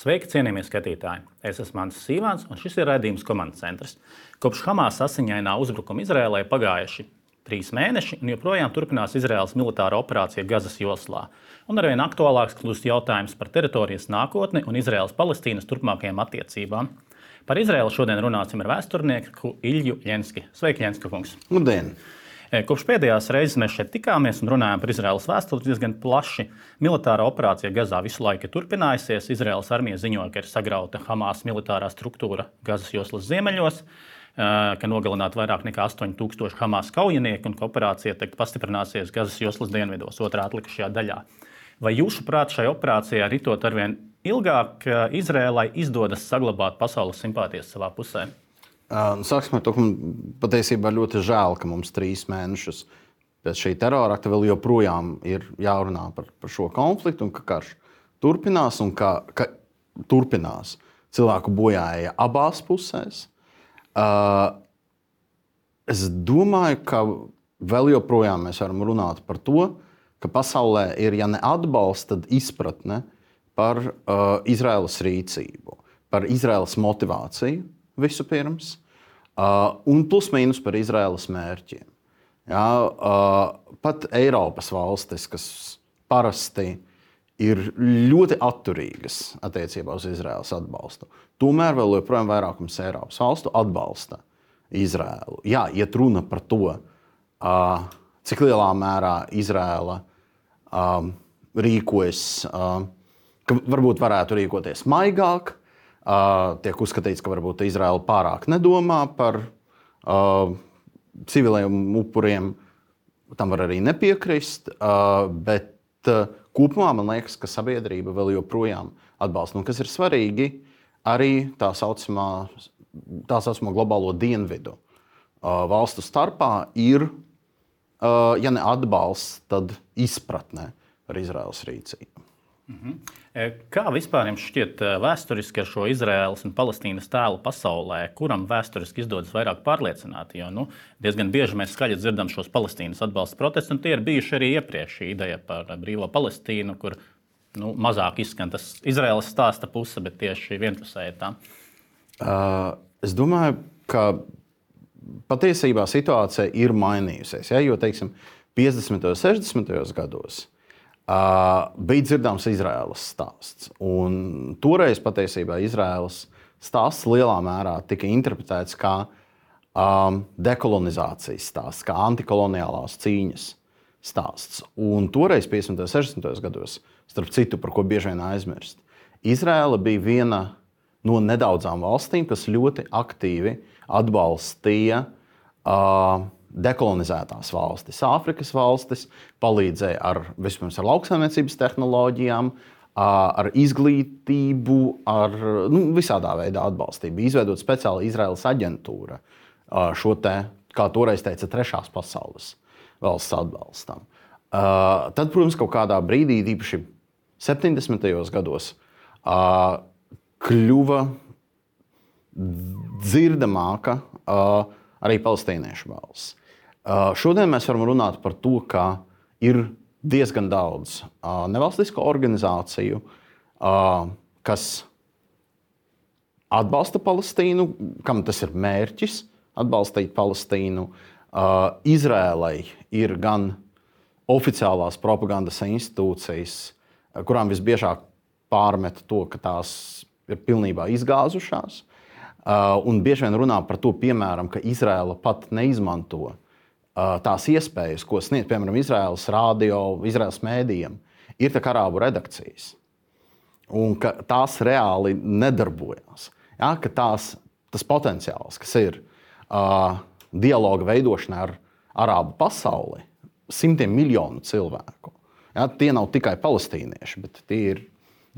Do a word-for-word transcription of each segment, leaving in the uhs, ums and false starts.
Sveiki, cienījamie skatītāji! Es esmu Mans Sīvāns, un šis ir raidījums Komandas centrs. Kopš Hamas asiņainā uzbrukuma Izraēlai pagājuši trīs mēneši, un joprojām turpinās Izraēlas militāra operācija Gazas joslā. Un arvien aktuālāks kļūst jautājums par teritorijas nākotni un Izraēlas-Palestīnas turpmākajām attiecībām. Par Izraēlu šodien runāsim ar vēsturnieku Ilju Ļenski. Sveiki, Ļenska kungs! Labdien! Kopš pēdējās reizes mēs šeit tikāmies un runājām par Izraēlas vēsturi diezgan plaši. Militārā operācija Gazā visu laiku turpinājusies. Izraēlas armija ziņoja, ka ir sagrauta Hamas militārā struktūra Gazas joslas ziemeļos, ka nogalināti vairāk nekā astoņi tūkstoši Hamas kaujinieku un ka operācija tagad pastiprināsies Gazas joslas dienvidos, otrā atlikušajā daļā. Vai jūsuprāt, šai operācijā ritot arvien ilgāk, Izraēlai izdodas saglabāt pasaules simpātijas savā pusē? Sāksim ar to, ka patiesībā ļoti žēl, ka mums trīs mēnešus pēc šī terora akta vēl joprojām ir jārunā par, par šo konfliktu un ka karš turpinās un ka, ka turpinās cilvēku bojāja abās pusēs. Uh, es domāju, ka vēl joprojām mēs varam runāt par to, ka pasaulē ir, ja ne atbalsts, tad izpratne par uh, Izraēlas rīcību, par Izraēlas motivāciju vispirms, uh, un plus mīnus par Izraēlas mērķiem. Ja, uh, pat Eiropas valstis, kas parasti ir ļoti atturīgas attiecībā uz Izraēlas atbalstu, tomēr vēl joprojām vairākums Eiropas valstu atbalsta Izraēlu. Jā, iet runa par to, uh, cik lielā mērā Izraēla uh, rīkojas, uh, ka varbūt varētu rīkoties maigāk. Uh, tiek uzskatīts, ka varbūt Izraēla pārāk nedomā par uh, civiliem upuriem. Tam var arī nepiekrist, uh, bet uh, kopumā man liekas, ka sabiedrība vēl joprojām atbalsta. Un kas ir svarīgi, arī tā saucamā, tā saucamā globālo dienvidu uh, valstu starpā ir, uh, ja ne atbalsts, tad izpratne par Izraēlas rīcību. Mhm. Kā vispār jums šķiet vēsturiski ar šo Izraēlas un Palestīnas tēlu pasaulē, kuram vēsturiski izdodas vairāk pārliecināt? Jo nu, diezgan bieži mēs skaļi dzirdam šos Palestīnas atbalsta protestus, un tie ir bijuši arī iepriekš šī ideja par brīvo Palestīnu, kur nu, mazāk izskan tas Izraēlas stāsta puse, bet tieši vienpusēji tā. Uh, es domāju, ka patiesībā situācija ir mainījusies. Ja? Jo, teiksim, piecdesmitajos, sešdesmitajos gados Uh, bija dzirdams Izraēlas stāsts. Un toreiz patiesībā Izraēlas stāsts lielā mērā tika interpretēts kā um, dekolonizācijas stāsts, kā antikoloniālās cīņas stāsts. Un toreiz, piecdesmitajos, sešdesmitajos gados, starp citu, par ko bieži vien aizmirst, Izraēla bija viena no nedaudzām valstīm, kas ļoti aktīvi atbalstīja uh, dekolonizētās valstis, Āfrikas valstis, palīdzēja ar, vispirms ar lauksaimniecības tehnoloģijām, ar izglītību, ar nu, visādā veidā atbalstību. Izveidot speciāli Izraēlas aģentūra šo te, kā toreiz teica, trešās pasaules valsts atbalstam. Tad, protams, kaut kādā brīdī, īpaši septiņdesmitajos gados, kļuva dzirdamāka arī palestīniešu balss. Uh, šodien mēs varam runāt par to, ka ir diezgan daudz uh, nevalstisko organizāciju, uh, kas atbalsta Palestīnu, kam tas ir mērķis atbalstīt Palestīnu. Uh, Izrēlai ir gan oficiālās propagandas institūcijas, kurām visbiežāk pārmet to, ka tās ir pilnībā izgāzušās, uh, un bieži vien runā par to, piemēram, ka Izrēla pat neizmanto tās iespējas, ko sniedz, piemēram, Izraēlas radio, Izraēlas mēdījiem, ir tā kā arābu redakcijas. Un ka tās reāli nedarbojās. Ja, ka tās, tas potenciāls, kas ir uh, dialoga veidošanā ar arābu pasauli, simtiem miljonu cilvēku. Ja, tie nav tikai palestīnieši, bet tie ir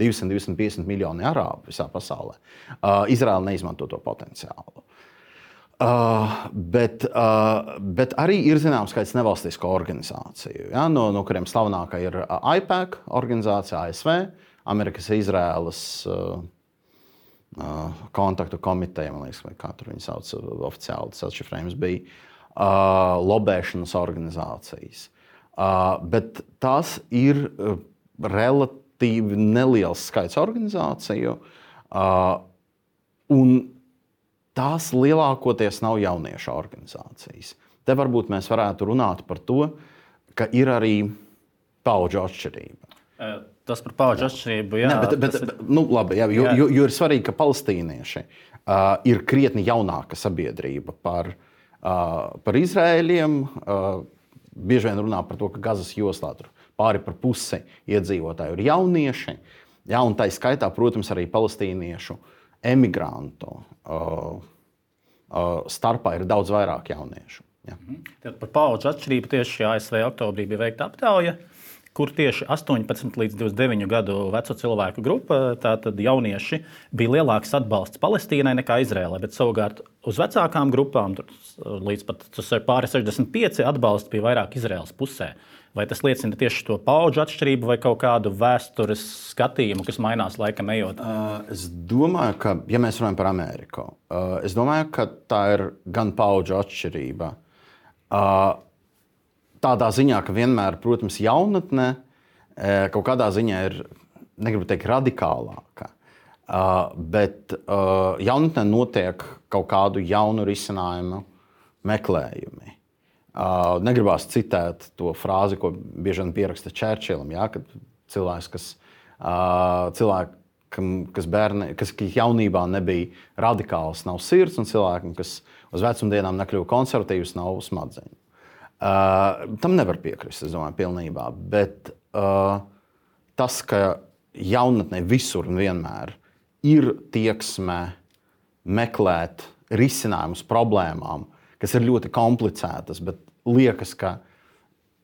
divsimt līdz divsimt piecdesmit miljoni arābu visā pasaulē. Uh, Izraēla neizmanto to potenciālu. Uh, bet, uh, bet arī ir zināms skaits nevalstisko organizāciju, ja, no, no kuriem slavenākā ir AIPAC organizācija A S V, Amerikas Izraēlas uh, uh, kontaktu komiteja, man liekas, vai kā tur viņi sauc oficiāli, tas atšifrējums bija, uh, lobēšanas organizācijas. Uh, bet tās ir uh, relatīvi relatīvi neliels skaits organizāciju, uh, un tās lielākoties nav jauniešu organizācijas. Te varbūt mēs varētu runāt par to, ka ir arī paudžu atšķirība. Tas par paudžu atšķirību, jā. Ne, bet, bet, ir... bet, nu, labi, jā, jo, jo, jo ir svarīgi, ka palestīnieši uh, ir krietni jaunāka sabiedrība par, uh, par Izraēļiem. Uh, bieži vien runā par to, ka Gazas joslā tur pāri par pusi iedzīvotāju ir jaunieši. Jā, un tā skaitā, protams, arī palestīniešu emigrantu uh, uh, starpā ir daudz vairāk jauniešu. Jā. Tad par paudžu atšķirību tieši A S V oktobrī bija veikta aptauja, kur tieši astoņpadsmit līdz divdesmit deviņu gadu veco cilvēku grupa, tātad jaunieši, bija lielāks atbalsts Palestīnai nekā Izrēlai, bet savukārt uz vecākām grupām, līdz pat pāri sešdesmit pieci atbalsts bija vairāk Izrēlas pusē. Vai tas liecina tieši to paudžu atšķirību vai kaut kādu vēstures skatījumu, kas mainās laikam ejot? Uh, es domāju, ka, ja mēs runājam par Ameriku, uh, es domāju, ka tā ir gan paudžu atšķirība. Uh, tādā ziņā, ka vienmēr, protams, jaunatne uh, kaut kādā ziņā ir, negribu teikt, radikālāka, uh, bet uh, jaunatnē notiek kaut kādu jaunu risinājumu meklējumi. Uh, negribās citēt to frāzi, ko bieži vien pieraksta Čērčilam, ja, kad cilvēks, kas, uh, cilvēkam, kas, bērni, kas jaunībā nebija radikāls, nav sirds, un cilvēkam, kas uz vecumdienām nekļuva konservatīvs, nav smadzeņu. Uh, tam nevar piekrist, es domāju, pilnībā. Bet uh, tas, ka jaunatnē visur un vienmēr ir tieksme meklēt risinājumus problēmām, kas ir ļoti komplicētas, bet liekas, ka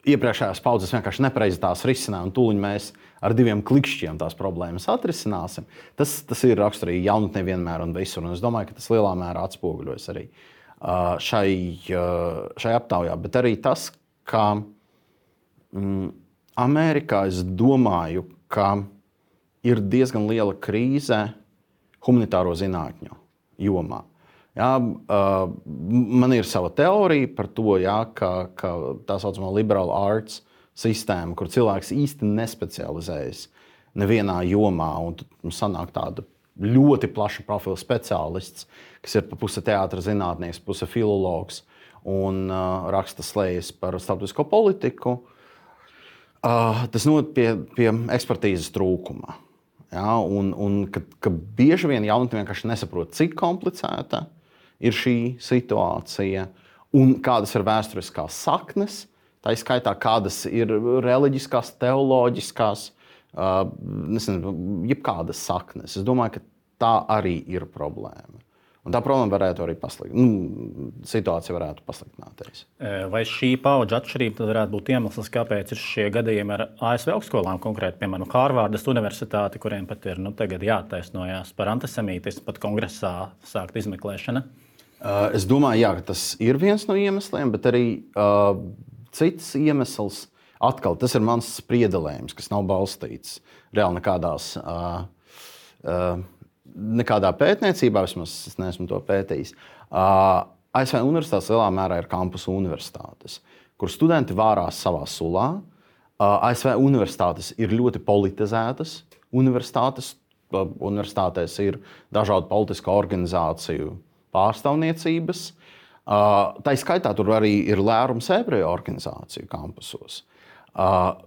iepriekšējās paudzes vienkārši nepareizi tās risināja, un tūliņ mēs ar diviem klikšķiem tās problēmas atrisināsim. Tas, tas ir raksturīgi jaunatnē vienmēr un visur, un es domāju, ka tas lielā mērā atspoguļojas arī uh, šai, uh, šai aptaujā. Bet arī tas, ka mm, Amerikā es domāju, ka ir diezgan liela krīze humanitāro zinātņu jomā. Jā, uh, man ir sava teorija par to, jā, ka, ka tā saucamā liberal arts sistēma, kur cilvēks īsti nespecializējas nevienā jomā, un tad sanāk tāda ļoti plaša profila speciālists, kas ir pa puse teātra zinātnieks, puse filologs un uh, raksta slējas par starptautisko politiku. Uh, tas noved pie, pie ekspertīzes trūkuma. Jā, un, un ka, ka bieži vien jaunatne vienkārši nesaprot, cik komplicēta ir šī situācija un kādas ir vēsturiskās saknes, tā izskaitā kādas ir reliģiskās, teoloģiskās, uh, nezinu, jebkādas saknes. Es domāju, ka tā arī ir problēma. Un tā problēma varētu arī paslikt, nu, situācija varētu pasliktināties. Vai šī paudžu atšķirība tad varētu būt iemesls, kāpēc ir šie gadījumi ar A S V augstskolām, konkrēti, piemēram, Hārvardas universitāti, kuriem pat ir nu, tagad jātaisnojās par antisemītismu, pat kongresā sākt izmeklēšana? Uh, es domāju, jā, ka tas ir viens no iemesliem, bet arī uh, cits iemesls, atkal, tas ir mans spriedelējums, kas nav balstīts reāli nekādās, uh, uh, nekādā pētniecībā, vismaz es neesmu to pētījis. Uh, A S V universitātes lielā mērā ir kampusu universitātes, kur studenti vārās savā sulā. Uh, A S V universitātes ir ļoti politizētas universitātes. Uh, universitātēs ir dažādu politisku organizāciju pārstāvniecības. Uh, tā skaitā tur arī ir lērums ebreju organizāciju kampusos. Uh,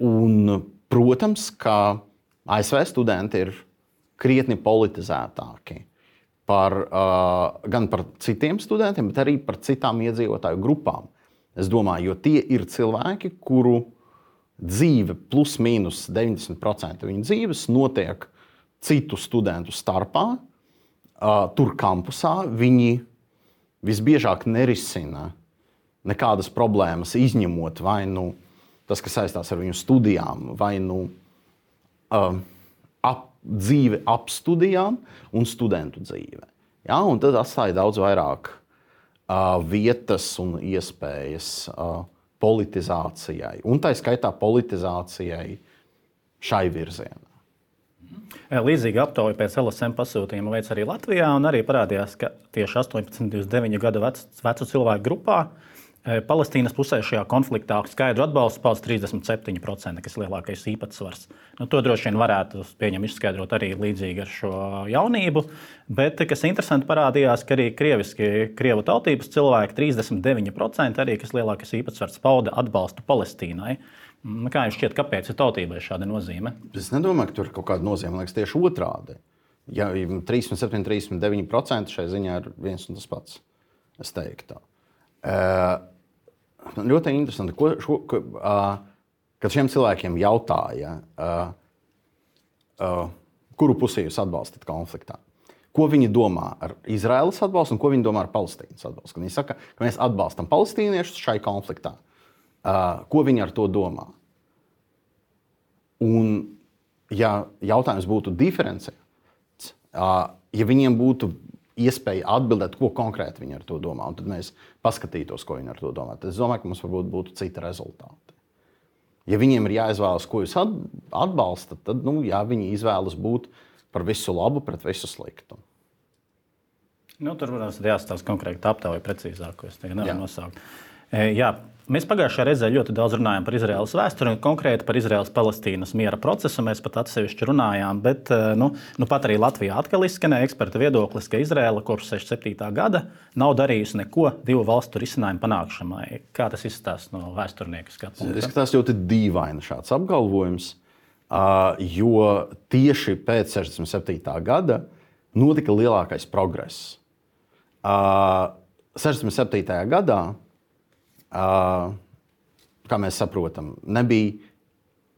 un, protams, ka A S V studenti ir krietni politizētāki par, uh, gan par citiem studentiem, bet arī par citām iedzīvotāju grupām. Es domāju, jo tie ir cilvēki, kuru dzīve plus mīnus deviņdesmit procenti viņu dzīves notiek citu studentu starpā. Uh, tur kampusā viņi visbiežāk nerisina nekādas problēmas, izņemot vai nu tas, kas saistās ar viņu studijām, vai nu uh, ap, dzīve ap studijām un studentu dzīve. Ja? Un tad atstāja daudz vairāk uh, vietas un iespējas uh, politizācijai, un tā skaitā politizācijai šai virzienā. Līdzīga aptauja pēc L S M pasūtījuma veids arī Latvijā, un arī parādījās, ka tieši astoņpadsmit līdz divdesmit deviņu gadu vecu, vecu cilvēku grupā Palestīnas pusē šajā konfliktā skaidru atbalstu pauda trīsdesmit septiņi procenti, kas ir lielākais īpatsvars. Nu, to droši vien varētu pieņem, izskaidrot arī līdzīgi ar šo jaunību. Bet, kas interesanti, parādījās, ka arī krieviski, krievu tautības cilvēki trīsdesmit deviņi procenti arī, kas lielākais īpatsvars pauda atbalstu Palestīnai. Kā jums šķiet, kāpēc ir tautībai šāda nozīme? Es nedomāju, ka tur ir kaut kāda nozīme. Man liekas, tieši otrādi. Ja trīsdesmit septiņi, trīsdesmit deviņi procenti šai ziņā ir viens un tas pats. Es teiktu tā. Uh, ļoti interesanti, ko, šo, ko, uh, kad šiem cilvēkiem jautāja, uh, uh, kuru pusi jūs atbalstat konfliktā. Ko viņi domā ar Izraēlas atbalstu un ko viņi domā ar Palestīnas atbalstu. Kad viņi saka, ka mēs atbalstam palestīniešus šai konfliktā, uh, ko viņi ar to domā. Un, ja jautājums būtu diferenciēts, uh, ja viņiem būtu iespēja atbildēt, ko konkrēti viņi ar to domā. Un tad mēs paskatītos, ko viņi ar to domā. Tad es domāju, ka mums varbūt būtu citi rezultāti. Ja viņiem ir jāizvēlas, ko jūs atbalstat, tad nu, jā, viņi izvēlas būt par visu labu pret visu sliktu. Nu, tur, protams, jāstāsta konkrēti aptauja precīzāk, ko es tagad nevaru nosaukt. E, jā. Mēs pagājušajā reizē ļoti daudz runājām par Izraēlas vēsturi un konkrēti par Izraēlas-Palestīnas miera procesu. Mēs pat atsevišķi runājām, bet nu, nu pat arī Latvijā atkal izskanēja eksperta viedoklis, ka Izraēla kopš sešdesmit septītā gada nav darījusi neko divu valstu risinājumu panākšanai. Kā tas izskatās no vēsturnieka skatu punkta? Izskatās ļoti dīvaini šāds apgalvojums, jo tieši pēc sešdesmit septītā gada notika lielākais progress. sešdesmit septītajā gadā Uh, kā mēs saprotam, nebija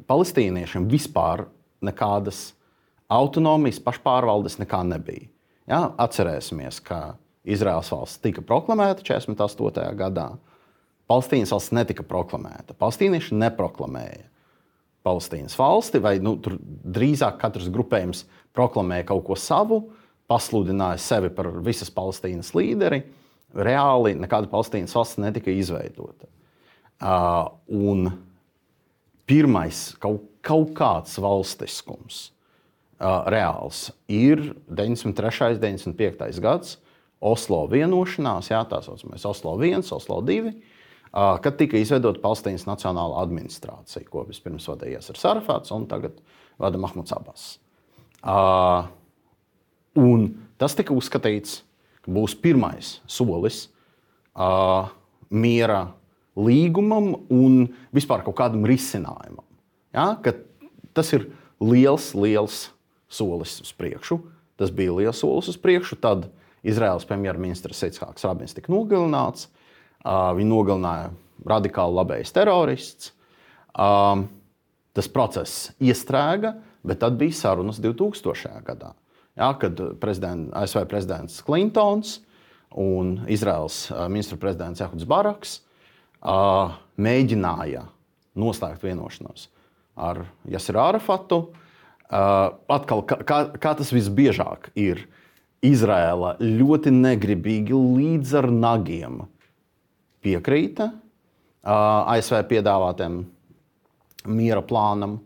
palestīniešiem vispār nekādas autonomijas, pašpārvaldes nekā nebija. Ja? Atcerēsimies, ka Izraēlas valsts tika proklamēta četrdesmit astotajā gadā. Palestīnas valsts netika proklamēta. Palestīnieši neproklamēja Palestīnas valsti, vai nu, tur drīzāk katrs grupējums proklamēja kaut ko savu, pasludināja sevi par visas Palestīnas līderi. Reāli nekāda Palestīnas valsts netika izveidota. Uh, un pirmais kaut, kaut kāds valstiskums uh, reāls ir deviņdesmit trešais, deviņdesmit piektais gads, Oslo vienošanās, jā, tā saucamais Oslo viens, Oslo divi, uh, kad tika izveidota Palestīnas nacionāla administrācija, ko vispirms vadīja Jāsers Arafats un tagad vada Mahmuds Abbas. Uh, un tas tika uzskatīts, ka būs pirmais solis uh, miera līgumam un vispār kaut kādam risinājumam. Ja? Ka tas ir liels, liels solis uz priekšu. Tas bija liels solis uz priekšu. Tad Izraēlas premjerministrs Ichāks Rabins tika nogalināts. Uh, viņu nogalināja radikāli labējs terorists. Uh, tas process iestrēga, bet tad bija sarunas divtūkstošajā gadā. Ja, kad prezident, A S V prezidents Klintons un Izraēlas ministra prezidents Ehuds Baraks uh, mēģināja noslēgt vienošanos ar Jāseru Arafatu. Uh, atkal, kā, kā tas visbiežāk ir, Izraēla ļoti negribīgi līdz ar nagiem piekrīta uh, A S V piedāvātiem miera plānam,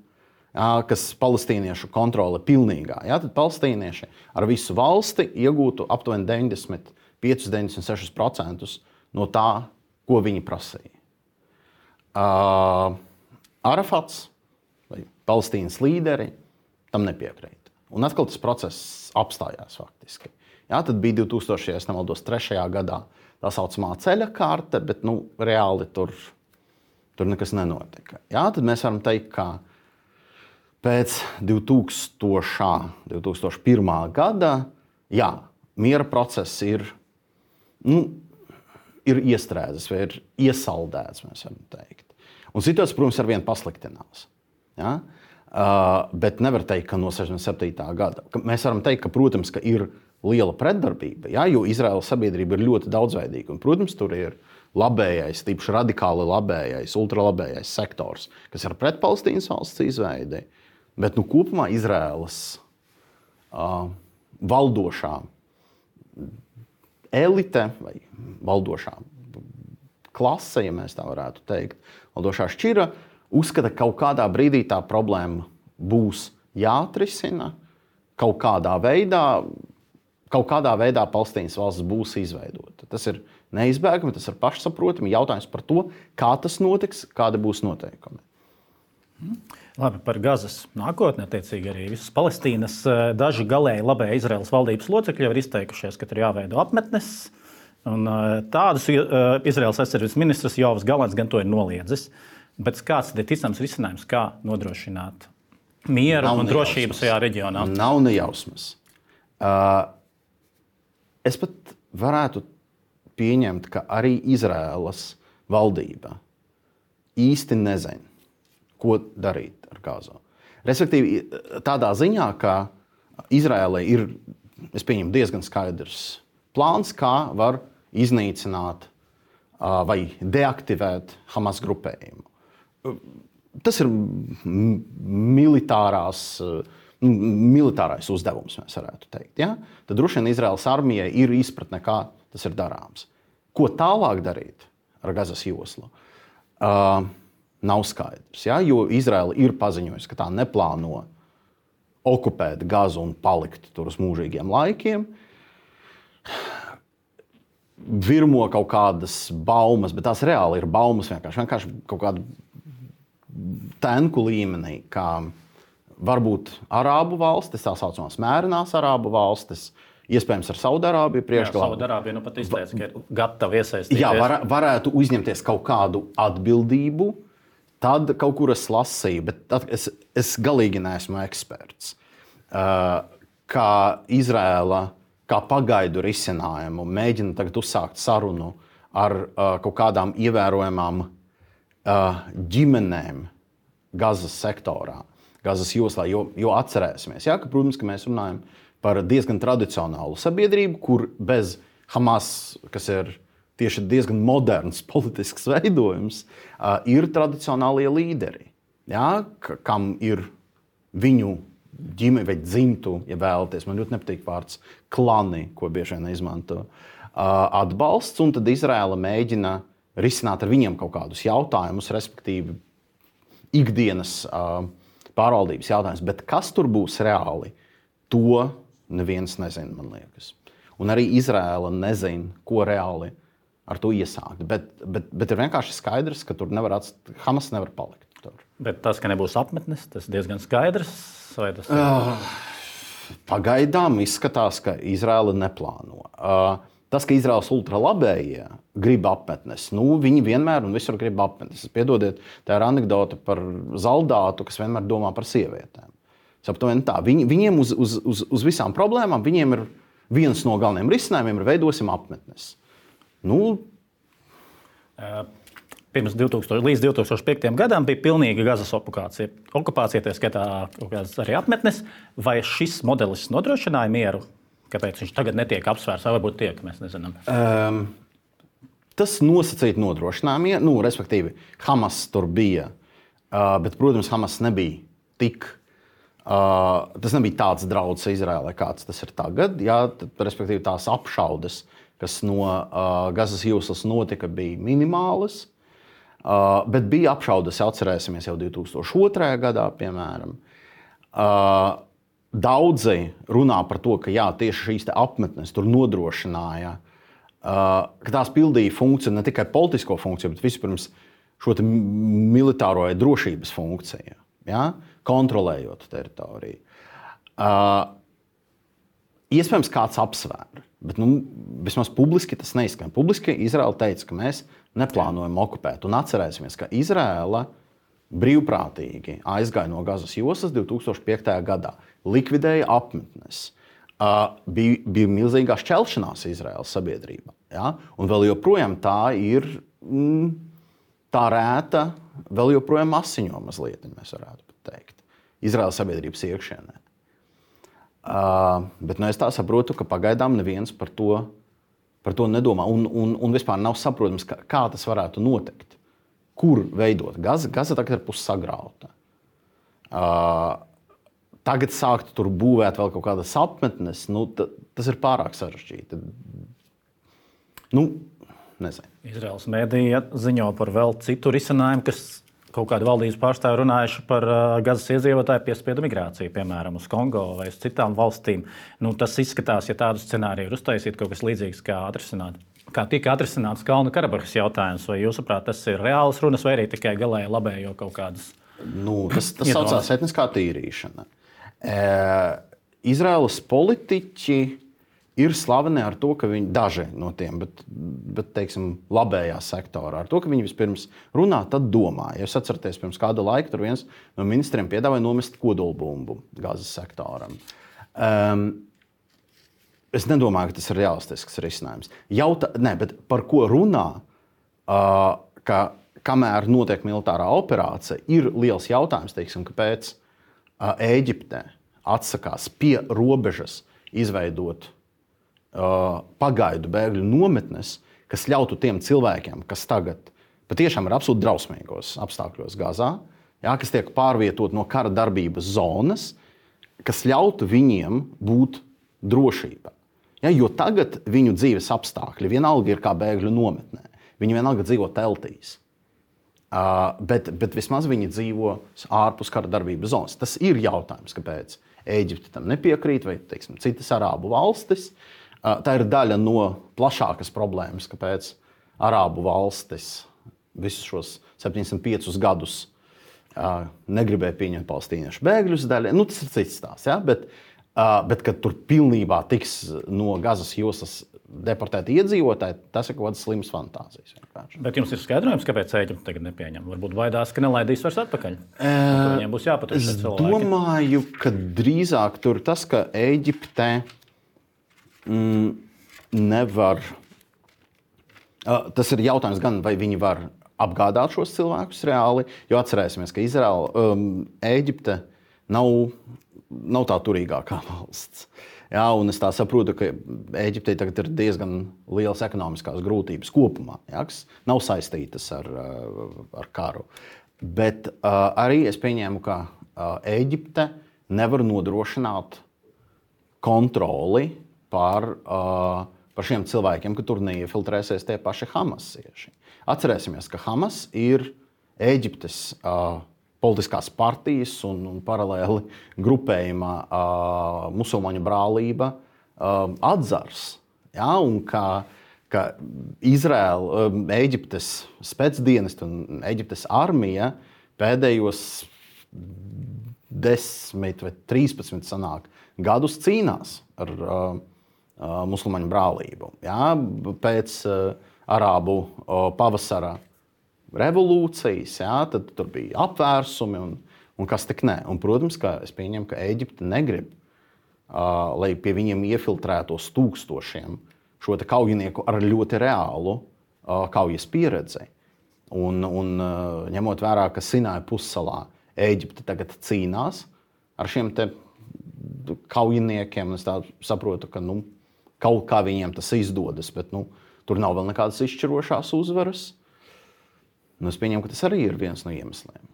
kas palestīniešu kontrole pilnīgā. Ja, tad palestīnieši ar visu valsti iegūtu aptuveni deviņdesmit pieci līdz deviņdesmit seši procenti no tā, ko viņi prasīja. Uh, Arafats vai Palestīnas līderi tam nepiekrīt. Un atkal tas process apstājās faktiski. Ja, tad bija divtūkstošais, ja nemaldos, trešajā gadā tā saucamā ceļa karte, bet nu, reāli tur, tur nekas nenotika. Ja, tad mēs varam teikt, ka pēc divtūkstošā pirmā gada jā, miera process ir, nu, ir iestrēdzis vai ir iesaldēts, mēs varam teikt. Un situācija, protams, ar vienu pasliktinās. Ja? Uh, bet nevar teikt, ka no sešdesmit septītā gada. Mēs varam teikt, ka, protams, ka ir liela pretdarbība, ja? Jo Izraēlas sabiedrība ir ļoti daudzveidīga. Un, protams, tur ir labējais, tīpaši radikāli labējais, ultralabējais sektors, kas ir pret Palestīnas valsts izveidi. Bet nu, kopumā Izraēlas uh, valdošā elite vai valdošā klase, ja mēs tā varētu teikt, valdošā šķira, uzskata, ka kaut kādā brīdī tā problēma būs jāatrisina, kaut kādā veidā, kaut kādā veidā Palestīnas valsts būs izveidota. sagrauta. Tas ir neizbēgami, tas ir pašsaprotami. Jautājums par to, kā tas notiks, kādi būs noteikumi. Labi, par Gazas nākotni, attiecīgi arī visas Palestīnas. Daži galēji labē Izraēlas valdības locekļi jau ir izteikušies, ka tur jāveido apmetnes. Un tādus Izraēlas aizsardzības ministrs Jovs Galants gan to ir noliedzis. Bet kāds ir ticams risinājums, kā nodrošināt mieru Nav un drošību šajā reģionā? Nav nejausmas. Uh, es pat varētu pieņemt, ka arī Izraēlas valdība īsti nezina, ko darīt ar Gazu. Respektīvi, tādā ziņā, ka Izraēlai ir, es pieņemu, diezgan skaidrs plāns, kā var iznīcināt uh, vai deaktivēt Hamas grupējumu. Tas ir militārās, militārais uzdevums, mēs varētu teikt. Ja? Tad droši vien Izraēlas armijai ir izpratne, kā tas ir darāms. Ko tālāk darīt ar Gazas joslu, uh, nav skaidrs. Ja? Jo Izraēla ir paziņojusi, ka tā neplāno okupēt Gazu un palikt tur uz mūžīgiem laikiem. Virmo kaut kādas baumas, bet tās reāli ir baumas vienkārši, vienkārši kaut kādu tenku līmenī, kā varbūt Arābu valstis, tā saucamās mērenās Arābu valstis, iespējams ar Saudārābiju priekšgalā. Saudārābija nu pat izteica, ka ir gatava iesaistīties. Jā, var, varētu uzņemties kaut kādu atbildību, tad kaut kur es lasīju, bet es, es galīgi neesmu eksperts. Uh, kā Izraēla, kā pagaidu risinājumu, mēģina tagad uzsākt sarunu ar uh, kaut kādām ievērojamām ģimenēm Gazas sektorā, Gazas joslā, jo, jo atcerēsimies, ja, ka, protams, ka mēs runājam par diezgan tradicionālu sabiedrību, kur bez Hamas, kas ir tieši diezgan moderns politisks veidojums, ir tradicionālie līderi, ja, kam ir viņu ģimene vai dzimtu, ja vēlaties, man ļoti nepatīk vārds klani, ko bieži vien izmanto, atbalsts, un tad Izraēla mēģina risināt ar viņiem kaut kādus jautājumus, respektīvi ikdienas uh, pārvaldības jautājumus. Bet kas tur būs reāli, to neviens nezina, man liekas. Un arī Izraēla nezina, ko reāli ar to iesākt. Bet, bet, bet ir vienkārši skaidrs, ka tur nevar atst... Hamas nevar palikt tur. Bet tas, ka nebūs apmetnes, tas diezgan skaidrs? Vai tas... uh, pagaidām izskatās, ka Izraēla neplāno. Uh, Tas, ka Izraēlas ultralabējie grib apmetnes, nu, viņi vienmēr un visur grib apmetnes. Piedodiet, tā ir anekdote par zaldātu, kas vienmēr domā par sievietēm. Saptuveni tā. Viņi, viņiem uz, uz, uz, uz visām problēmām, viņiem ir viens no galvenajiem risinājumiem, ir veidosim apmetnes. Nu, Pirms divtūkstoš, līdz divtūkstoš piektajam gadam bija pilnīga Gazas okupācija. Okupācija, tā skaitā arī apmetnes. Vai šis modelis nodrošināja mieru? Kāpēc viņš tagad netiek apsvērts, vai varbūt tiek, mēs nezinām? Um, tas nosacīti nodrošinājumi, nu, respektīvi, Hamas tur bija, uh, bet, protams, Hamas nebija tik, uh, tas nebija tāds draudz Izraēlai, kāds tas ir tagad, jā, tad, respektīvi, tās apšaudes, kas no uh, Gazas joslas notika, bija minimālas, uh, bet bija apšaudes, atcerēsimies, jau divtūkstoš otrajā gadā, piemēram. Uh, Daudzi runā par to, ka jā, tieši šīs apmetnes tur nodrošināja, uh, ka tās pildīja funkciju, ne tikai politisko funkciju, bet vispirms šo militāro drošības funkciju, ja? Kontrolējot teritoriju. Uh, iespējams, kāds apsvēra, bet nu, vismaz publiski tas neizskan. Publiski Izraēla teica, ka mēs neplānojam okupēt. Un atcerēsimies, ka Izraēla brīvprātīgi aizgāja no Gazas joslas divtūkstoš piektajā gadā, likvidēja apmetnes. Uh, bija, bija milzīgā šķelšanās Izraēlas sabiedrībā. Ja? Un vēl joprojām tā ir mm, tā rēta, vēl joprojām asiņo mazliet, mēs varētu teikt, Izraēlas sabiedrības iekšienē. Uh, bet nu, es tā saprotu, ka pagaidām neviens par to, par to nedomā. Un, un, un vispār nav saprotams, kā, kā tas varētu notikt. Kur veidot? Gaza, Gaza tagad ir pussagrauta. Uh, tagad sākt tur būvēt vēl kaut kādas apmetnes, nu, t, tas ir pārāk sarežģīti. Nu, nezinu. Izraēlas mēdīja ziņo par vēl citu risinājumu, kas kaut kādi valdības pārstāvi runājuši par uh, Gazas iedzīvotāju piespiedu migrāciju, piemēram, uz Kongo vai uz citām valstīm. Nu, tas izskatās, ja tādu scenāriju ir uztaisīt, kaut kas līdzīgs kā atrisināt. kā tika atrisināts Kalnu Karabahas jautājums. Vai jūsuprāt, tas ir reāls runas vai arī tikai galēji labējo kaut kādas? Nu, tas tas saucās etniskā tīrīšana. E, Izraēlas politiķi ir slaveni ar to, ka viņi daži no tiem, bet, bet teiksim, labējā sektorā, ar to, ka viņi vispirms runā, tad domā. Ja jūs atceraties, pirms kāda laika tur viens no ministriem piedāvāja nomest kodolbumbu Gazas sektoram. Um, es nedomāju, ka tas ir realistisks risinājums. Jauta, ne, bet par ko runā, uh, ka kamēr notiek militārā operācija, ir liels jautājums, teiksim, kāpēc uh, Ēģipte atsakās pie robežas izveidot Uh, pagaidu bēgļu nometnes, kas ļautu tiem cilvēkiem, kas tagad patiešām ir absolūti drausmīgos apstākļos Gazā, jā, kas tiek pārvietot no kara darbības zonas, kas ļautu viņiem būt drošībā. Jā, jo tagad viņu dzīves apstākļi vienalga ir kā bēgļu nometnē. Viņi vienalga dzīvo teltīs. Uh, bet, bet vismaz viņi dzīvo ārpus kara darbības zonas. Tas ir jautājums, kāpēc Ēģipte tam nepiekrīt, vai teiksim, citas arābu valstis. Tā ir daļa no plašākas problēmas, kāpēc arābu valstis visus šos septiņdesmit piecus gadus uh, negribēja pieņemt palestīniešu bēgļus daļai. Nu, tas ir cits stāsts, ja? bet, uh, bet kad tur pilnībā tiks no Gazas joslas deportēti iedzīvotāji, tas ir kaut kādas slimas fantāzijas. Vienkārši. Bet jums ir skaidrojums, kāpēc Ēģipte tagad nepieņem? Varbūt baidās, ka nelaidīs vairs atpakaļ. E, Viņiem būs jāpatur šie cilvēki. Es domāju, ka drīzāk tur tas, ka Ēģipte Mm, nevar. Uh, tas ir jautājums gan, vai viņi var apgādāt šos cilvēkus reāli, jo atcerēsimies, ka Izraela, um, Ēģipte nav, nav tā turīgākā valsts. Jā, un es tā saprotu, ka Ēģiptei tagad ir diezgan lielas ekonomiskās grūtības kopumā, jā, kas nav saistītas ar, ar karu. Bet uh, arī es pieņēmu, ka uh, Ēģipte nevar nodrošināt kontroli Par, uh, par šiem cilvēkiem, ka tur neiefiltrēsies tie paši hamasieši. Atcerēsimies, ka Hamas ir Ēģiptes uh, politiskās partijas un, un paralēli grupējuma uh, musulmaņu brālība uh, atzars. Ja? Un ka, ka Izraela, um, Ēģiptes spēcdienesti un Ēģiptes armija pēdējos desmit vai trīspadsmit sanāk gadus cīnās ar uh, musulmaņu brālību. Jā, pēc uh, arābu uh, pavasara revolūcijas, jā, tad tur bija apvērsumi un, un kas tik ne. Un, protams, ka es pieņemu, ka Ēģipte negrib, uh, lai pie viņiem iefiltrētos tūkstošiem šo te kaujinieku ar ļoti reālu uh, kaujas pieredzi. Un, un uh, ņemot vērā, ka Sinaja pussalā Ēģipte tagad cīnās ar šiem te kaujiniekiem, es tā saprotu, ka nu, kaut kā viņiem tas izdodas, bet nu, tur nav vēl nekādas izšķirošās uzvaras. Nu, es pieņemu, ka tas arī ir viens no iemesliem.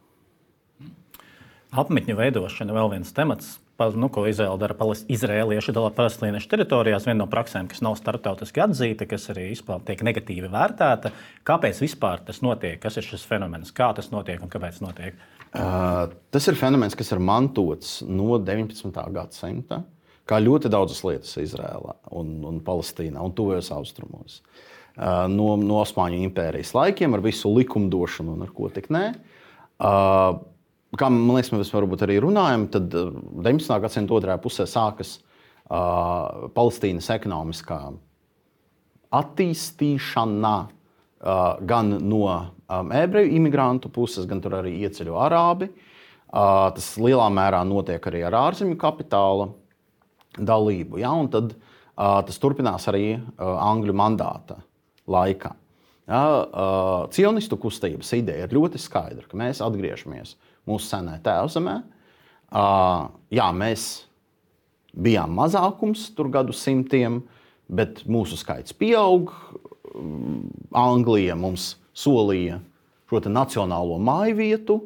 Apmetņu veidošana vēl viens temats, nu, ko Izraēla dara izraēlieši dala palestīniešu teritorijās. Viena no praksēm, kas nav starptautiski atzīta, kas arī izpār tiek negatīvi vērtēta. Kāpēc vispār tas notiek? Kas ir šis fenomens? Kā tas notiek un kāpēc notiek? Uh, tas ir fenomens, kas ir mantots no deviņpadsmitā gadsimta, kā ļoti daudzas lietas Izrēlā un, un Palestīnā un tuvajos austrumos. Uh, no, no Osmaņu impērijas laikiem ar visu likumdošanu un ar ko tik nē. Uh, kā man liekas, mēs varbūt arī runājam, tad deviņpadsmitā gadsimta otrajā pusē sākas uh, Palestīnas ekonomiskā attīstīšana uh, gan no um, ebreju imigrantu puses, gan tur arī ieceļo arābi. Uh, tas lielā mērā notiek arī ar ārzemju kapitāla dalību. Ja? Un tad uh, tas turpinās arī uh, Angļu mandāta laikā. Ja? Uh, cionistu kustības ideja ir ļoti skaidra, ka mēs atgriežamies mūsu senē tēvzemē. Uh, jā, mēs bijām mazākums tur gadu simtiem, bet mūsu skaits pieaug. Anglija mums solīja šo te nacionālo mājvietu,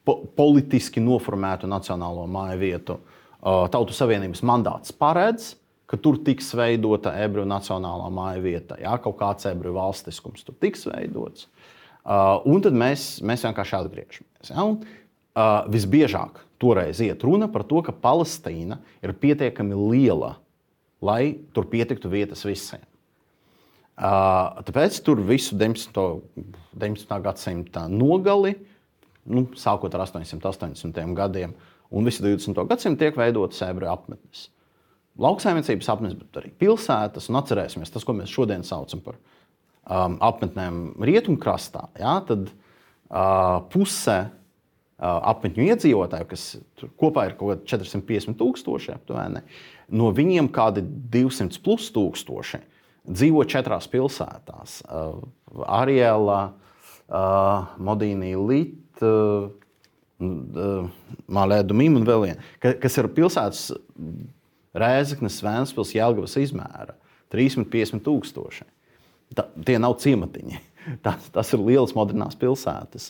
po politiski noformētu nacionālo mājvietu. Uh, Tautu Savienības mandāts paredz, ka tur tiks veidota ebreju nacionālā mājvieta. Jā, kaut kāds ebreju valstiskums tur tiks veidots. Uh, un tad mēs, mēs vienkārši atgriežamies. Ja? Un, uh, visbiežāk toreiz iet runa par to, ka Palestīna ir pietiekami liela, lai tur pietiktu vietas visiem. Tāpēc tur visu deviņpadsmitā gadsimta nogali, nu, sākot ar astoņsimt astoņdesmitajiem gadiem, un visu divdesmito gadsimtu tiek veidotas ebreju apmetnes. Lauksaimniecības apmetnes, bet arī pilsētas, un atcerēsimies tas, ko mēs šodien saucam par um, apmetnēm rietumkrastā, ja, tad uh, puse uh, apmetņu iedzīvotāju, kas kopā ir kaut kādi četri simti piecdesmit tūkstoši, aptuveni, no viņiem kādi divsimt plus tūkstoši dzīvo četrās pilsētās. Uh, Ariela, uh, Modīnī, Lit, uh, uh, Mālēdu Mim un vēl viena, ka, kas ir pilsētas Rēzeknes, Vēnspils, Jelgavas izmēra. trīssimt piecdesmit tūkstoši. Ta, tie nav ciematiņi. Tas, tas ir lielas modernās pilsētas.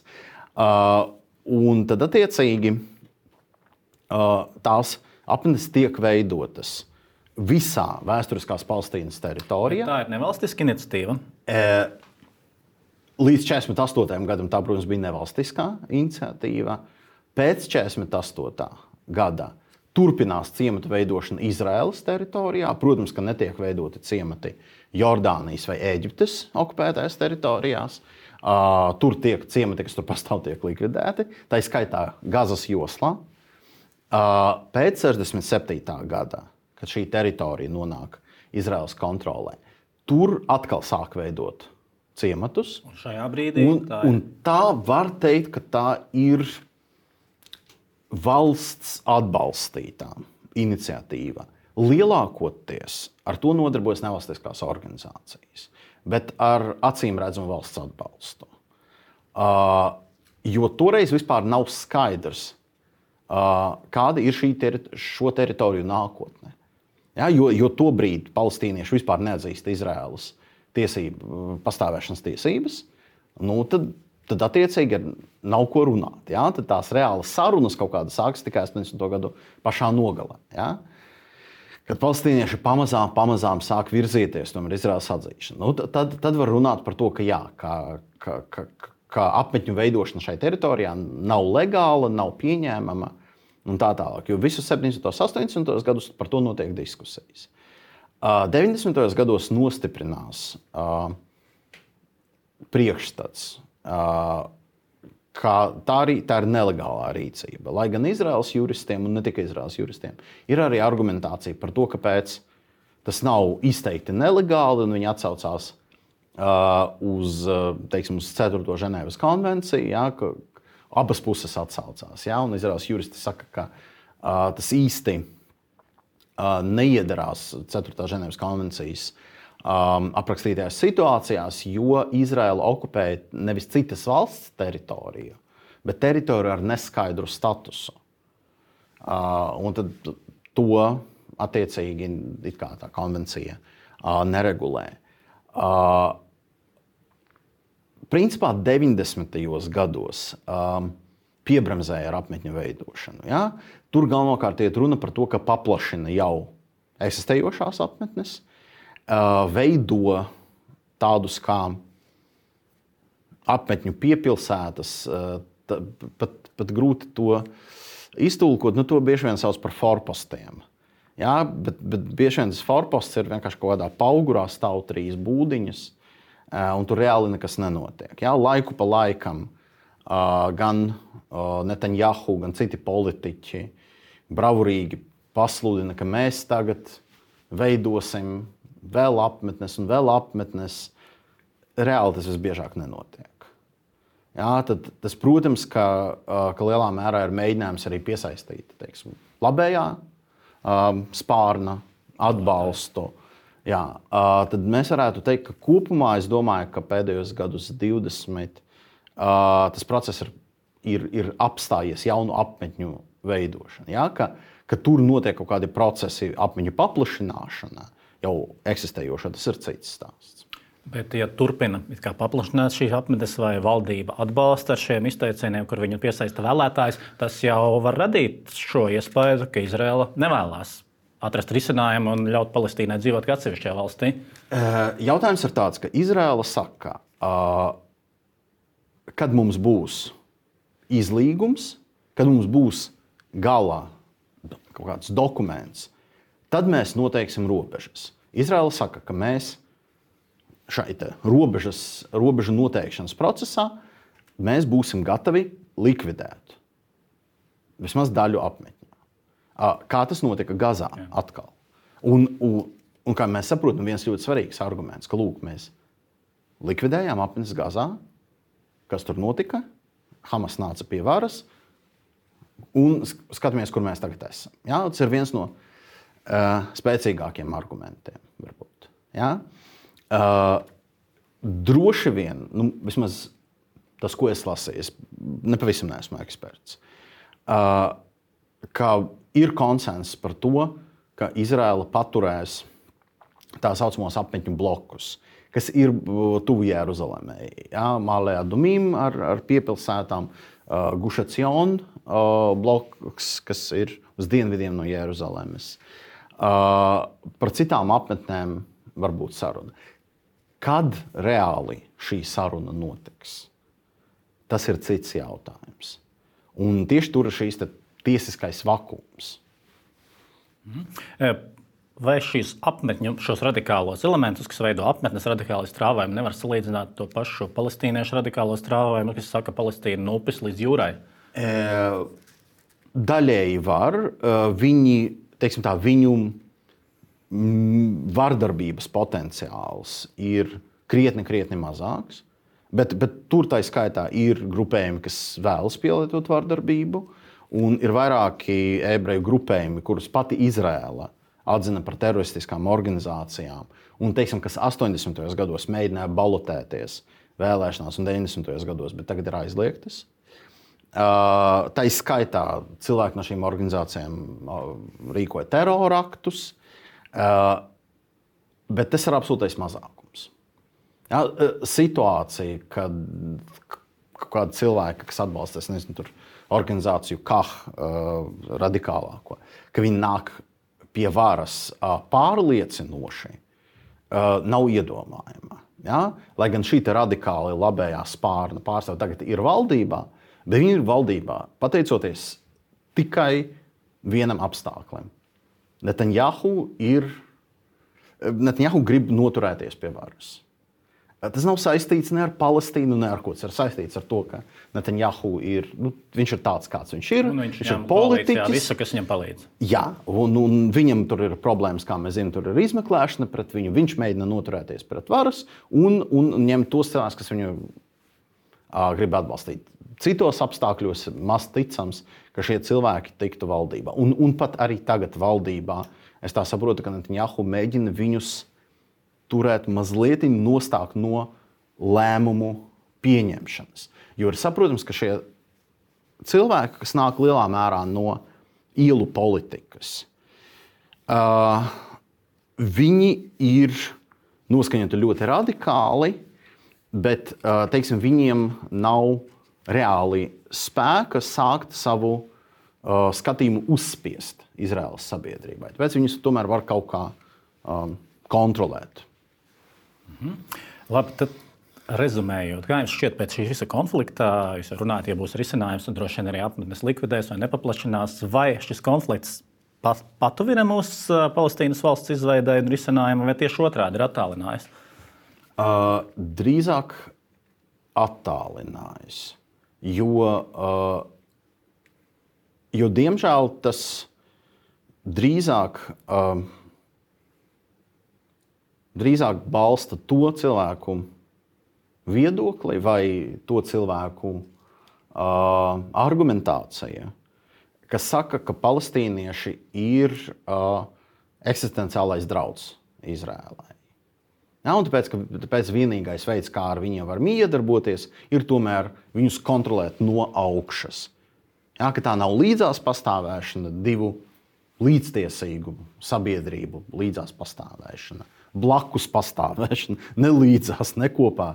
Uh, un tad attiecīgi uh, tās apmetnes tiek veidotas visā vēsturiskās Palestīnas teritorijā. Tā ir nevalstiska iniciatīva. Līdz četrdesmit astotajam gadam tā, protams, bija nevalstiskā iniciatīva. Pēc četrdesmit astotā gada turpinās ciematu veidošana Izraēlas teritorijā. Protams, ka netiek veidoti ciemati Jordānijas vai Ēģiptes okupētajās teritorijās. Uh, tur tiek ciemati, kas tur pastāv, tiek likvidēti. Tā ir skaitā Gazas joslā. Uh, pēc sešdesmit septītā gada, kad šī teritorija nonāk Izraēlas kontrolē, tur atkal sāk veidot ciematus. Un šajā brīdī un, tā ir. Un tā var teikt, ka tā ir valsts atbalstītā iniciatīva. Lielākoties ar to nodarbojas nevalstiskās organizācijas, bet ar acīm redzamu valsts atbalstu. Uh, jo toreiz vispār nav skaidrs, uh, kāda ir šī teri- šo teritoriju nākotne. Ja, jo, jo tobrīd palestīnieši vispār neatzīst Izraēlas tiesību, pastāvēšanas tiesības, nu, tad, tad attiecīgi nav ko runāt. Ja? Tad tās reālas sarunas kaut kādas sākas tikai astoņdesmito gadu pašā nogalē. Ja? Kad palestīnieši pamazām, pamazām sāk virzīties tomēr Izraēlas atzīšanu, nu, tad, tad var runāt par to, ka, jā, ka, ka, ka, ka apmetņu veidošana šai teritorijā nav legāla, nav pieņēmama. Un tā tālāk, jo visus septiņdesmitos, astoņdesmitos gadus par to notiek diskusijas. Uh, deviņdesmitajos gados nostiprinās uh, priekšstats, uh, ka tā, arī, tā ir nelegālā rīcība. Lai gan Izraēlas juristiem, un ne tikai Izraēlas juristiem, ir arī argumentācija par to, kāpēc tas nav izteikti nelegāli, un viņi atsaucās uh, uz, teiksim, uz ceturto Ženēvas konvenciju, ja, ka abas puses atsaucās. Ja? Un Izraēlas juristi saka, ka uh, tas īsti uh, neiedarās ceturtā Ženēvas konvencijas um, aprakstītajās situācijās, jo Izraēla okupēja nevis citas valsts teritoriju, bet teritoriju ar neskaidru statusu. Uh, un tad to attiecīgi it kā tā konvencija uh, neregulē. Uh, Principā deviņdesmitajos gados um, piebremzēja ar apmetņu veidošanu. Ja? Tur galvenokārt iet runa par to, ka paplašina jau eksistējošās apmetnes, uh, veido tādus kā apmetņu piepilsētas, uh, t, pat, pat grūti to iztulkot, nu to bieži vien sauc par forpostiem. Ja? Bet, bet bieži vien tas forposts ir vienkārši kaut kādā paugurā stāv trīs būdiņas, un tur reāli nekas nenotiek. Ja? Laiku pa laikam uh, gan uh, Netanjahu, gan citi politiķi bravurīgi pasludina, ka mēs tagad veidosim vēl apmetnes un vēl apmetnes. Reāli tas visbiežāk nenotiek. Ja? Tad, tas, protams, ka, uh, ka lielā mērā ir mēģinājums arī piesaistīt, teiksim, labējā um, spārna atbalstu. Jā, uh, tad mēs varētu teikt, ka kopumā es domāju, ka pēdējos gadus divdesmit uh, tas process ir, ir, ir apstājies jaunu apmetņu veidošana. Ja? Ka, ka tur notiek kaut kādi procesi, apmetņu paplašināšana, jau eksistējoša, tas ir cits stāsts. Bet, ja turpina paplašināt šīs apmetnes vai valdība atbalsta ar šiem izteicieniem, kur viņi piesaista vēlētājus, tas jau var radīt šo iespēju, ka Izraela nevēlas atrast risinājumu un ļaut Palestīnai dzīvot kā atsevišķajā valstī? Jautājums ir tāds, ka Izraela saka, kad mums būs izlīgums, kad mums būs galā kaut kāds dokuments, tad mēs noteiksim robežas. Izraela saka, ka mēs šai robežas, robežu noteikšanas procesā mēs būsim gatavi likvidēt vismaz daļu apmetņu. Kā tas notika Gazā atkal. Un, un, un kā mēs saprotam, viens ļoti svarīgs arguments, ka lūk, mēs likvidējām apmetnes Gazā, kas tur notika, Hamas nāca pie varas, un skatāmies, kur mēs tagad esam. Ja? Tas ir viens no uh, spēcīgākiem argumentiem, varbūt. Ja? Uh, droši vien, nu, vismaz tas, ko es lasīju, es nepavisam neesmu eksperts, uh, ka ir konsensus par to, ka Izraela paturēs tā saucamos apmetņu blokus, kas ir tuvu Jeruzalemē. Ja? Mālē Adumim ar, ar piepilsētām, uh, Gušacion uh, bloks, kas ir uz dienvidiem no Jeruzalemes. Uh, par citām apmetnēm var būt saruna. Kad reāli šī saruna notiks? Tas ir cits jautājums. Un tieši tur ir šīs tiesiskais vakums. Mm. Vai šīs apmetņu, šos radikālos elementus, kas veido apmetnes radikālo strāvojumu, nevar salīdzināt to pašu palestīniešu radikālo strāvojumu, kas saka Palestīna no upes līdz jūrai? E, daļēji var. Viņi, teiksim tā, viņu vardarbības potenciāls ir krietni, krietni mazāks. Bet, bet tur tā skaitā ir grupējumi, kas vēlas pielietot vardarbību, un ir vairāki ebreju grupējumi, kurus pati Izraela atzina par teroristiskām organizācijām, un, teiksim, kas astoņdesmitajos gados mēģināja balotēties vēlēšanās un deviņdesmitajos gados, bet tagad ir aizliegtas. Uh, tā skaitā cilvēki no šīm organizācijām uh, rīkoja teroraktus, uh, bet tas ir absolūtais mazākums. Ja, situācija, kad kāda cilvēka, kas atbalsta, es nezinu, tur organizāciju K A H uh, radikālāko, ka viņi nāk pie varas uh, pārliecinoši, uh, nav iedomājama. Ja? Lai gan šī radikāli labējā spārna pārstāv tagad ir valdībā, bet viņi ir valdībā pateicoties tikai vienam apstākļam. Netanjahu ir, Netanjahu grib noturēties pie varas. Tas nav saistīts ne ar Palestīnu, ne ar ko. Tas ir saistīts ar to, ka Netanjahu ir, nu, viņš ir tāds, kāds viņš ir. Un viņš viņš ir politiķis. Jā, visu, kas viņam palīdz. Jā, un, un viņam tur ir problēmas, kā mēs zinām, tur ir izmeklēšana pret viņu. Viņš mēģina noturēties pret varas un, un ņemt tos cilvēkus, kas viņu uh, grib atbalstīt. Citos apstākļos maz ticams, ka šie cilvēki tiktu valdībā. Un, un pat arī tagad valdībā, es tā saprotu, ka Netanjahu mēģina viņus turēt mazliet nostāk no lēmumu pieņemšanas. Jo ir saprotams, ka šie cilvēki, kas nāk lielā mērā no ielu politikas, uh, viņi ir noskaņoti ļoti radikāli, bet uh, teiksim, viņiem nav reāli spēka sākt savu uh, skatījumu uzspiest Izraēlas sabiedrībai. Tāpēc viņus tomēr var kaut kā um, kontrolēt. Mhm. Labi, tad rezumējot, kā jums šķiet pēc šī visa konflikta, jūs runājat, ja būs risinājums, un droši vien arī apmetnes likvidēs vai nepaplašinās, vai šis konflikts pat, patuvina mūsu Palestīnas valsts izveidē un risinājumu, vai tieši otrādi ir attālinājis? Uh, drīzāk attālinājis, jo, uh, jo diemžēl tas drīzāk uh, drīzāk balsta to cilvēku viedokli vai to cilvēku uh, argumentācija, kas saka, ka palestīnieši ir uh, eksistenciālais drauds Izrēlai. Ja, un tāpēc, ka, tāpēc vienīgais veids, kā ar viņiem var miedarboties, ir tomēr viņus kontrolēt no augšas. Ja, ka tā nav līdzās pastāvēšana, divu līdztiesīgu sabiedrību līdzās pastāvēšana. Blakus pastāvēšana, ne līdzās, ne kopā,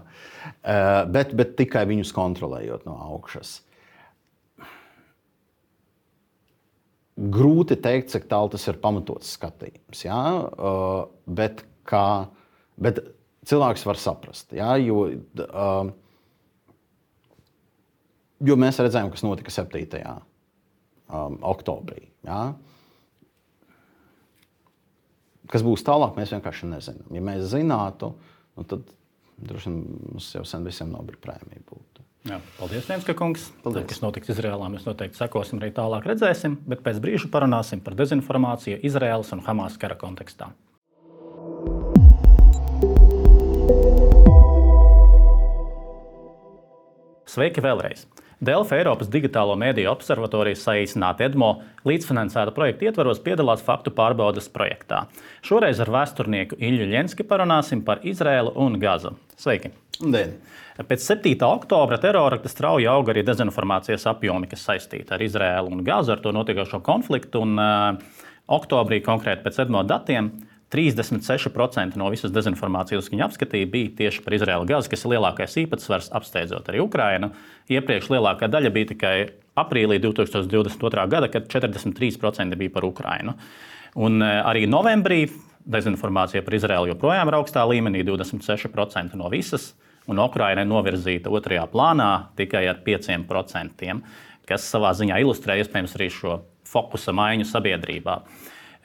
bet, bet tikai viņus kontrolējot no augšas. Grūti teikt, cik tālu tas ir pamatots skatījums, ja? bet, kā, bet cilvēks var saprast, ja? jo, jo mēs redzējām, kas notika septītajā oktobrī. Ja? Kas būs tālāk, mēs vienkārši nezinām. Ja mēs zinātu, nu tad droši vien mums jau sen visiem Nobela prēmija būtu. Jā, paldies, Lenska kungs. Paldies. Tad, kas notiks Izrēlā, mēs noteikti sekosim arī tālāk redzēsim, bet pēc brīža parunāsim par dezinformāciju Izraēlas un Hamas kara kontekstā. Sveiki vēlreiz! Delfa Eiropas Digitālo mediju observatorijas saīsināta EDMO līdzfinansēta projekta ietvaros piedalās faktu pārbaudes projektā. Šoreiz ar vēsturnieku Ilju Ļenski parunāsim par Izraēlu un Gazu. Sveiki! Dien. Pēc septītā oktobra terorakta strauji auga arī dezinformācijas apjomi, kas saistīti ar Izraēlu un Gazu, ar to notiekošo konfliktu. Un, uh, oktobrī konkrēti pēc EDMO datiem trīsdesmit seši procenti no visas dezinformācijas, kas viņa apskatīja, bija tieši par Izraēlu Gazu, kas ir lielākais īpatsvars, apsteidzot arī Ukrainu. Iepriekš lielākā daļa bija tikai aprīlī divi tūkstoši divdesmit otrā gada, kad četrdesmit trīs procenti bija par Ukrainu. Un arī novembrī dezinformācija par Izraēlu joprojām ir augstā līmenī, divdesmit seši procenti no visas, un Ukraina ir novirzīta otrajā plānā tikai ar pieciem procentiem, kas savā ziņā ilustrē iespējams arī šo fokusa maiņu sabiedrībā.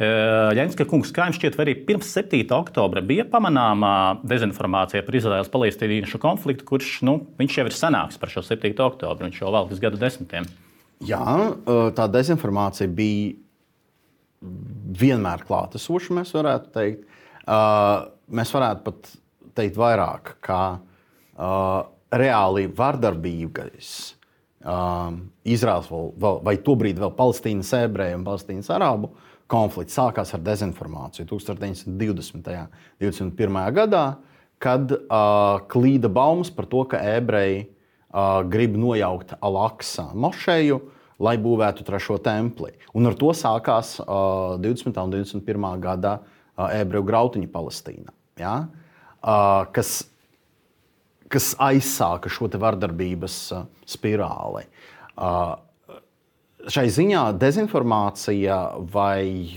Ļenska kungs, kā jums šķiet, vai arī pirms septītā oktobra bija pamanāmā dezinformācija par Izraēlas-palestīniešu konfliktu, kurš nu, viņš jau ir senāks par šo septīto oktobru, viņš jau valkas gadu desmitiem? Jā, tā dezinformācija bija vienmēr klātesoša, mēs varētu teikt. Mēs varētu pat teikt vairāk, ka reāli vardarbīgais Izraēlas vai tobrīd vēl Palestīnas ebreju un Palestīnas arabu konflikts sākās ar dezinformāciju tūkstoš deviņsimt divdesmitajā un divdesmit pirmajā gadā, kad uh, klīda baumas par to, ka ebreji uh, grib nojaukt Al-Aqsa mošeju, lai būvētu trešo templi. Un ar to sākās uh, divdesmitā un divdesmit pirmā gadā uh, ebreju grautiņi Palestīnā, ja? uh, kas, kas aizsāka šo te vardarbības uh, spirāli. Uh, Šai ziņā dezinformācija vai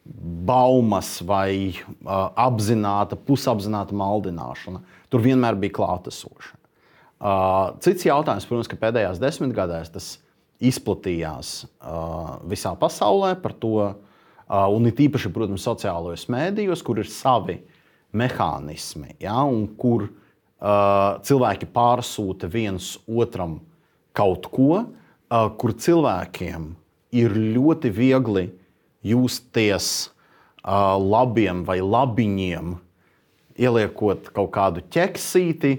baumas vai uh, apzināta, pusapzināta maldināšana tur vienmēr bija klātesoša. Uh, cits jautājums, protams, ka pēdējās desmitgadēs tas izplatījās uh, visā pasaulē par to, uh, un it īpaši, protams, sociālajos mēdījos, kur ir savi mehānismi, ja, un kur uh, cilvēki pārsūta viens otram kaut ko, kur cilvēkiem ir ļoti viegli justies uh, labiem vai labiņiem, ieliekot kaut kādu ķeksīti,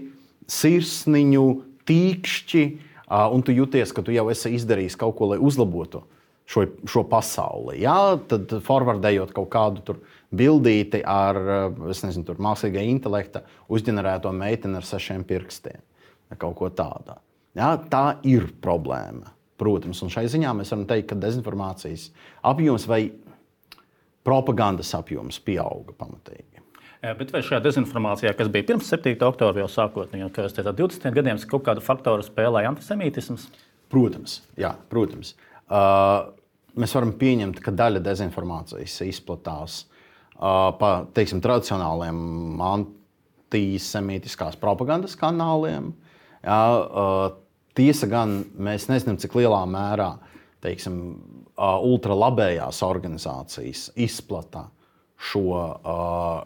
sirsniņu, tīkšķi, uh, un tu jūties, ka tu jau esi izdarījis kaut ko, lai uzlabotu šo, šo pasauli. Jā, tad forwardējot kaut kādu tur bildīti ar, es nezinu, tur mākslīgā intelekta uzģenerēto meiteni ar sešiem pirkstiem, kaut ko tādā. Jā, tā ir problēma. Protams, un šai ziņā mēs varam teikt, ka dezinformācijas apjoms vai propagandas apjoms pieauga pamatīgi. Jā, bet vai šajā dezinformācijā, kas bija pirms septītā oktobra jau sākotnēji, kā jūs teicāt, divdesmitiem gadiem, kaut kādu faktoru spēlēja antisemītisms? Protams, jā, protams. Uh, mēs varam pieņemt, ka daļa dezinformācijas izplatās uh, pa, teiksim, tradicionāliem antisemītiskās propagandas kanāliem. Jā, uh, Tiesa gan, mēs nezinām, cik lielā mērā, teiksim, ultralabējās organizācijas izplata šo,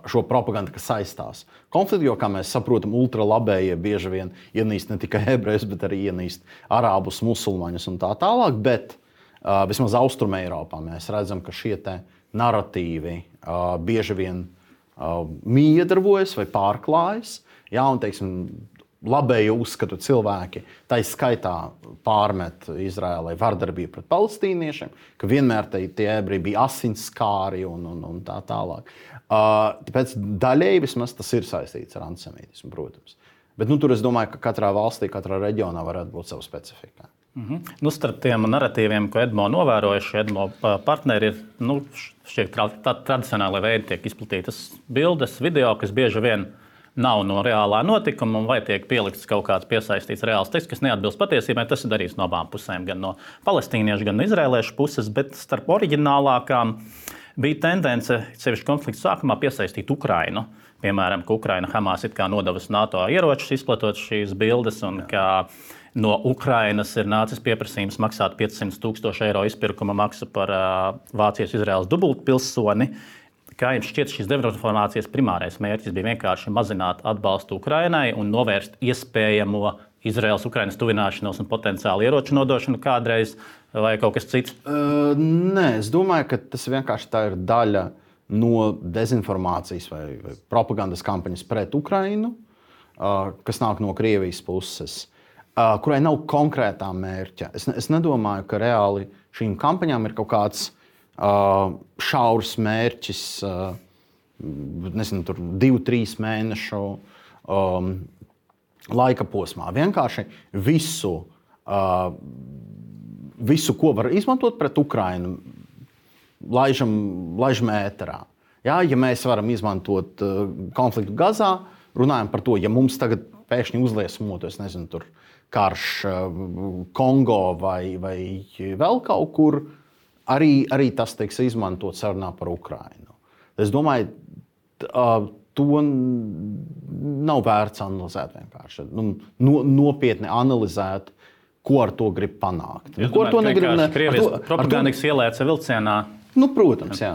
šo propagandu, kas saistās konfliktu, jo, kā mēs saprotam, ultralabējie bieži vien ienīst ne tikai ebrejus, bet arī ienīst arābus, musulmaņus un tā tālāk, bet vismaz Austruma Eiropā mēs redzam, ka šie te naratīvi bieži vien miedarbojas vai pārklājas, jā, un, teiksim, labēju uzskatu cilvēki, tā skaitā pārmet Izraēlai vardarbību pret palestīniešiem, ka vienmēr te, tie ebreji bija asinskāri un, un, un tā tālāk. Uh, tāpēc daļēji vismaz tas ir saistīts ar antisemītismu, protams. Bet nu, tur es domāju, ka katrā valstī, katrā reģionā varētu būt sava specifika. Mm-hmm. Nu, starp tiem naratīviem, ko EDMO novērojuši, EDMO partneri ir nu, šie tra- tradicionāli veidi, tiek izplatītas bildes, video, kas bieži vien nav no reālā notikuma, vai tiek pielikts kaut kāds piesaistīts reāls teksts, kas neatbilst patiesībai. Tas ir darīts no abām pusēm, gan no palestīniešu, gan no izrēliešu puses, bet starp oriģinālākām bija tendence, sevišķi konflikta sākumā, piesaistīt Ukrainu. Piemēram, ka Ukraina Hamas it kā nodevusi NATO ieročus, izplatot šīs bildes, un ka no Ukrainas ir nācis pieprasījums maksāt piecsimt tūkstoši eiro izpirkuma maksu par uh, Vācijas-Izraēlas dubultpilsoni, Kā jums šķiet, šīs dezinformācijas primārais mērķis bija vienkārši mazināt atbalstu Ukrainai un novērst iespējamo Izraēlas-Ukrainas tuvināšanos un potenciālu ieroču nodošanu kādreiz, vai kaut kas cits? Uh, nē, es domāju, ka tas vienkārši tā ir daļa no dezinformācijas vai, vai propagandas kampaņas pret Ukrainu, uh, kas nāk no Krievijas puses, uh, kurai nav konkrētā mērķa. Es, es nedomāju, ka reāli šīm kampaņām ir kaut kāds uh, šaurs mērķis, uh, nezinu, tur divu, trīs mēnešu um, laika posmā. Vienkārši visu, uh, visu, ko var izmantot pret Ukrainu, laižam, laižam ēterā. Jā, ja mēs varam izmantot uh, konfliktu Gazā, runājam par to, ja mums tagad pēkšņi uzliesmot, es nezinu, tur karš uh, Kongo vai, vai vēl kaut kur, arī, arī tas tiks izmantot sarunā par Ukrainu. Es domāju, uh, to nav vērts analizēt vienkārši. Nu, no, nopietni analizēt, ko ar to grib panākt. Jūs ko ar to negrib? Krievijas to, propagandikas ielēca vilcienā. Nu, protams, jā.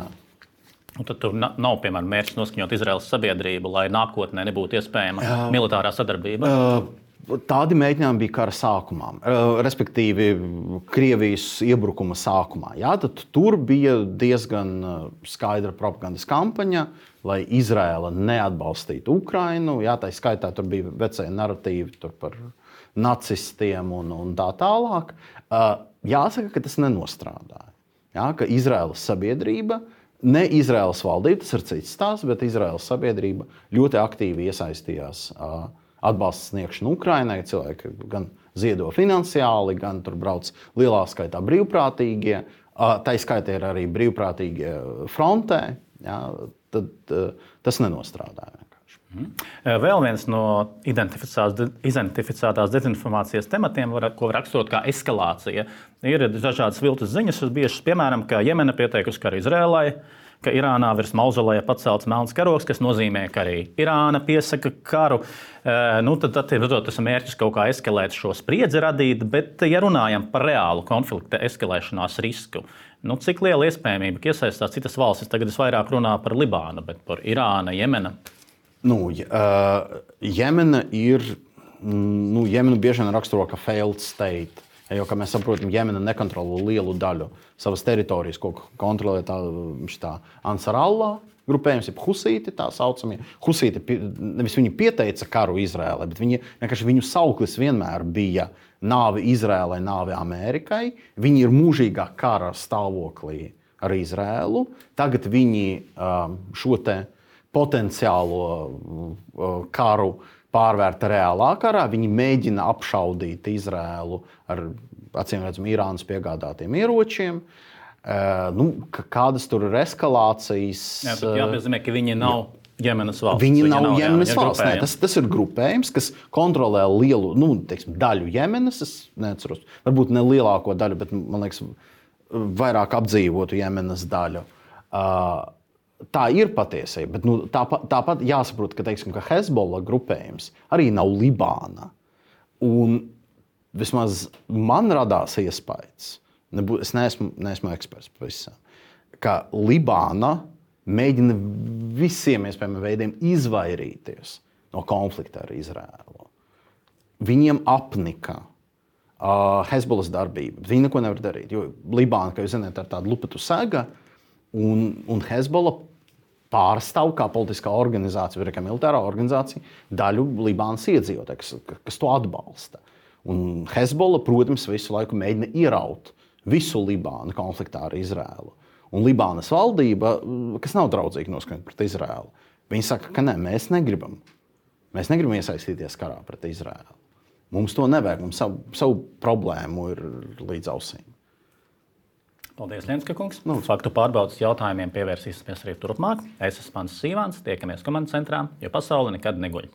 Un tad tur nav, piemēram, mērķis noskaņot Izraēlas sabiedrību, lai nākotnē nebūtu iespējama uh, militārā sadarbība. Uh, tādi mēģinājumi bija kara sākumā, uh, respektīvi Krievijas iebrukuma sākumā. Jā, tad tur bija diezgan skaidra propagandas kampaņa, lai Izraēla neatbalstītu Ukrainu. Jā, tā skaitā tur bija vecie naratīvi tur par nacistiem un, un tā tālāk. Uh, jāsaka, ka tas nenostrādāja. Jā, ka Izraēlas sabiedrība, ne Izraēlas valdība, tas ir cits stāsts, bet Izraēlas sabiedrība ļoti aktīvi iesaistījās uh, atbalsta sniegšanu Ukrainai. Cilvēki gan ziedo finansiāli, gan tur brauc lielā skaitā brīvprātīgie. Uh, tā skaitā ir arī brīvprātīgie frontē. Jā, tad uh, tas nenostrādāja vienkārši. Mm. Vēl viens no identificētās dezinformācijas tematiem, var, ko var raksturot kā eskalācija, ir dažādas viltus ziņas, bijušas, piemēram, ka Jemena pieteikusi karu Izrēlai, ka Irānā virs mauzoleja pacelts melns karogs, kas nozīmē, ka arī Irāna piesaka karu. Nu, tad, tad tas ir mērķis kaut kā eskalēt šo spriedzi radīt, bet, ja runājam par reālu konflikta eskalēšanās risku, nu, cik liela iespējamība, ka iesaistās citas valstis, tagad es vairāk runāju par Libānu, bet par Irānu, Jemenu? Nu, uh, Jemena ir, nu, Jemenu bieži vien raksturo kā failed state. Jo, kā mēs saprotam, Jemena nekontrolē lielu daļu savas teritorijas, ko kontrolē tā, tā Ansarallah grupējums, jeb husīti tā saucamie. Husīti, nevis viņi pieteica karu Izrēlai, bet viņi, vienkārši viņu sauklis vienmēr bija nāve Izrēlai, nāve Amerikai. Viņi ir mūžīgā kara stāvoklī ar Izrēlu. Tagad viņi um, šo te potenciālo uh, karu pārvērta reālā karā. Viņi mēģina apšaudīt Izrēlu ar, acīm redzam, Irānas piegādātiem ieročiem. Uh, nu, kādas tur ir eskalācijas? Jā, bet jāpiezīmē, ka viņi nav Jemenas valsts. Viņi, viņi nav, nav jā, Jemenas valsts. Nē, tas, tas ir grupējums, kas kontrolē lielu, nu, teiksim, daļu Jemenas. Es neatceros, varbūt ne lielāko daļu, bet, man liekas, vairāk apdzīvotu Jemenas daļu. Uh, Tā ir patiesība, bet nu, tāpat, tāpat jāsaprot, ka, teiksim, ka Hezbollah grupējums arī nav Libāna. Un vismaz man radās iespējas, nebū, es neesmu, neesmu eksperts pavisam, ka Libāna mēģina visiem iespējamiem veidiem izvairīties no konflikta ar Izrēlu. Viņiem apnika uh, Hezbollas darbība, viņi neko nevar darīt, jo Libāna, kā jūs zināt, ir tāda lupatu sega, un, un Hezbollah pārstāv kā politiskā organizācija, vai kā militārā organizācija, daļu Libānas iedzīvotāju, kas, kas to atbalsta. Un Hezbollah, protams, visu laiku mēģina ieraut visu Libānu konfliktā ar Izrēlu. Un Libānas valdība, kas nav draudzīga noskaņot pret Izrēlu, viņi saka, ka nē, mēs negribam. Mēs negribam iesaistīties karā pret Izrēlu. Mums to nevajag, mums savu, savu problēmu ir līdz ausīm. Paldies, Lienska kungs. Nu, faktu pārbaudas jautājumiem pievērsīsimies arī turpmāk. Es esmu Mans Sīvāns, tiekamies komandas centrā, jo pasaule nekad neguļ.